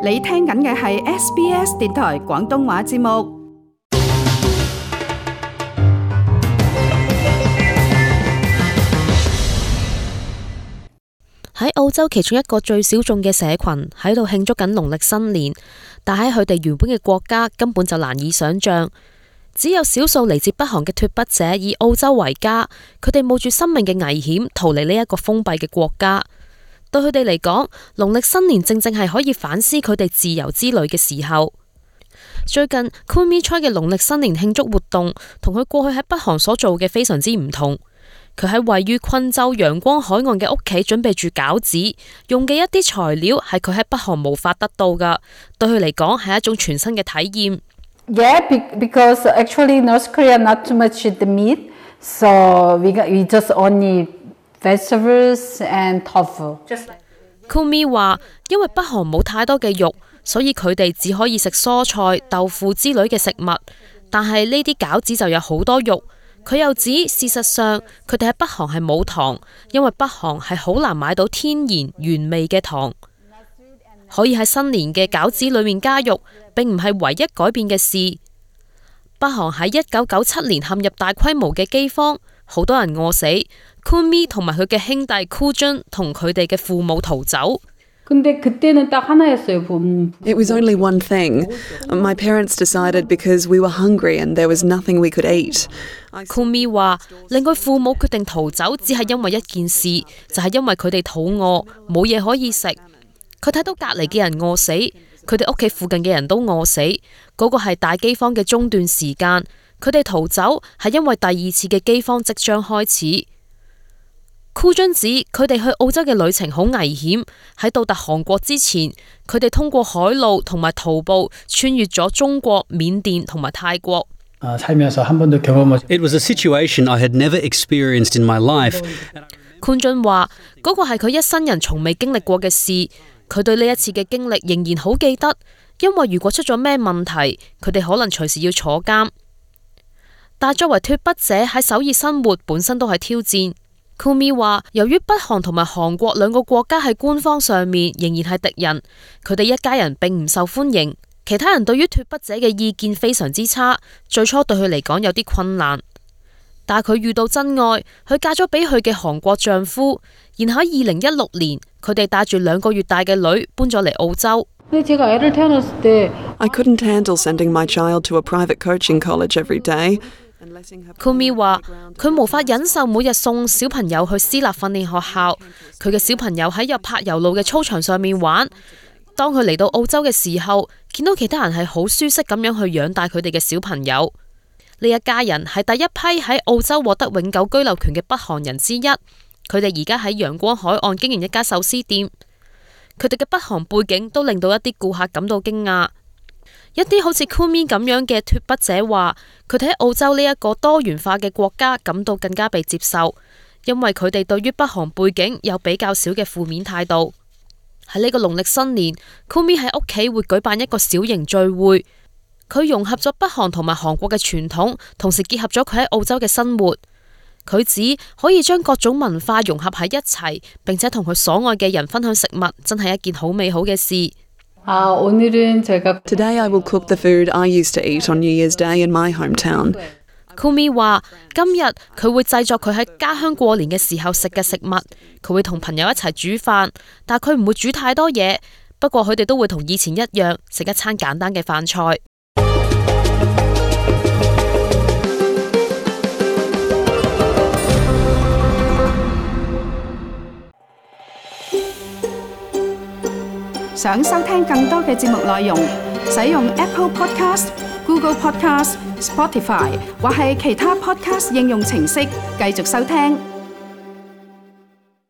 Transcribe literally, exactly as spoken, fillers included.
你聽緊嘅係 S B S 電台廣東話節目。喺澳洲其中一個最小眾嘅社群喺度慶祝緊農曆新年，但喺佢哋原本嘅國家根本就難以想像。只有少數嚟自北韓嘅脫北者以澳洲為家，佢哋冒住生命嘅危險逃離呢一個封閉嘅國家。對佢哋嚟講，農曆新年正正係可以反思佢哋自由之旅嘅時候。最近 Kumi Choi 嘅農曆新年慶祝活動同佢過去喺北韓所做嘅非常之唔同。佢喺位於昆州陽光海岸嘅屋企準備住餃子，用嘅一啲材料係佢喺北韓無法得到㗎，對佢嚟講係一種全新嘅體驗。Yeah, because actually North Korea not too much the meat, so we got, we just only vegetables and tofu. Kumi 話，因為北韓冇太多嘅肉，所以佢哋只可以食蔬菜、豆腐之類嘅食物。但係呢啲餃子就有好多肉。佢又指，事實上佢哋喺北韓係冇糖，因為北韓係好難買到天然原味嘅糖。可以喺新年嘅餃子裏面加肉，並唔係唯一改變嘅事。北韓喺一九九七年陷入大規模嘅饑荒，好多人餓死。Kumi 同埋佢嘅兄弟 Kujun 同佢哋嘅父母逃走。근데 그때는 딱 하나였어요. It was only one thing. My parents decided because we were hungry and there was nothing we could eat. Kumi 話，令佢父母決定逃走，只係因為一件事，就係因為佢哋肚餓，冇嘢可以食。佢睇到隔離嘅人餓死，佢哋屋企附近嘅人都餓死。嗰個係大饑荒嘅中斷時間。佢哋逃走係因為第二次嘅饑荒即將開始。Kujun指佢哋去澳洲嘅旅程好危險，喺到達韓國之前，佢哋通過海路同埋徒步穿越咗中國、緬甸同埋泰國。It was a situation I had never experienced in my life. Kujun 話，嗰個係佢一生人從未經歷過嘅事。佢對呢一次嘅經歷仍然好記得，因為如果出咗咩問題，佢哋可能隨時要坐監。但作為脫北者喺首爾生活本身都係挑戰。Kumi 話，由於北韓同埋韓國兩個國家喺官方上面仍然係敵人，佢哋一家人並唔受歡迎。其他人對於脫北者嘅意見非常之差，最初對佢嚟講有啲困難。但係佢遇到真愛，佢嫁咗俾佢嘅韓國丈夫，然後喺二零一六年，佢哋帶住兩個月大嘅女搬咗嚟澳洲。I couldn't handle sending my child to a private coaching college every day. Kumi 話，佢無法忍受每日送小朋友去私立訓練學校，佢嘅小朋友喺有柏油路嘅操場上面玩。當佢嚟到澳洲嘅時候，見到其他人係好舒適咁樣去養大佢哋嘅小朋友。呢一家人係第一批喺澳洲獲得永久居留權嘅北韓人之一。佢哋而家喺陽光海岸經營一家壽司店。佢哋嘅北韓背景都令到一啲顧客感到驚訝。一啲好似 Kumi 咁樣嘅脫北者話，佢哋喺澳洲呢一個多元化嘅國家感到更加被接受，因為佢哋對於北韓背景有比較少嘅負面態度。喺呢個農曆新年 ，Kumi 喺屋企會舉辦一個小型聚會，佢融合咗北韓同埋韓國嘅傳統，同時結合咗佢喺澳洲嘅生活。佢指可以將各種文化融合喺一齊，並且同佢所愛嘅人分享食物，真係一件好美好嘅事。Today I will cook the food I used to eat on New Year's Day in my hometown. Kumi 話，今日佢會製作佢喺家鄉過年嘅時候食嘅食物，佢會同朋友一齊煮飯，但佢唔會煮太多嘢。不過佢哋都會同以前一樣食一餐簡單嘅飯菜。想收聽更多嘅節目內容，使用 Apple Podcast、Google Podcast、Spotify 或係其他 Podcast 應用程式繼續收聽。